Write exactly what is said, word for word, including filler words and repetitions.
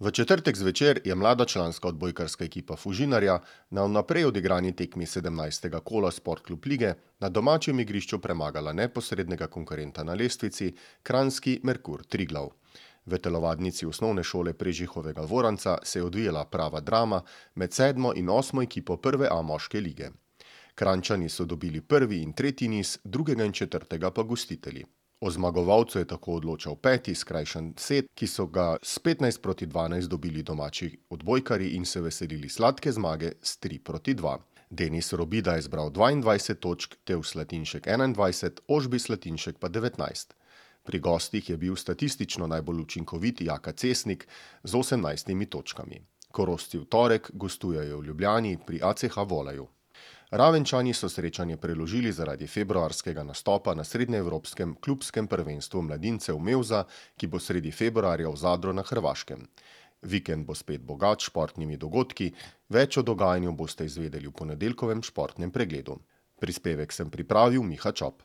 V četrtek zvečer je mlada članska odbojkarska ekipa Fužinarja na vnaprej odigrani tekmi sedemnajstega kola Sportklub lige na domačem igrišču premagala neposrednega konkurenta na lestvici, kranjski Merkur Triglav. V telovadnici osnovne šole Prežihovega Voranca se je odvijala prava drama med sedmo in osmo ekipo prve A moške lige. Kranjčani so dobili prvi in tretji niz, drugega in četrtega pa gostitelji. O zmagovalcu je tako odločal peti skrajšan set, ki so ga s petnajst proti dvanajst dobili domači odbojkarji in se veselili sladke zmage s tri proti dva. Denis Robida je zbral dvaindvajset točk, Tev Slatinšek enaindvajset, Ožbi Slatinšek pa devetnajst. Pri gostih je bil statistično najbolj učinkovit Jaka Cesnik z osemnajstimi točkami. Korošci v torek gostujejo v Ljubljani pri A C H Voleju. Ravenčani so srečanje preložili zaradi februarskega nastopa na srednjeevropskem klubskem prvenstvu mladincev Mevza, ki bo sredi februarja v Zadru na Hrvaškem. Vikend bo spet bogat s športnimi dogodki, več o dogajanju boste izvedeli v ponedeljkovem športnem pregledu. Prispevek sem pripravil Miha Čop.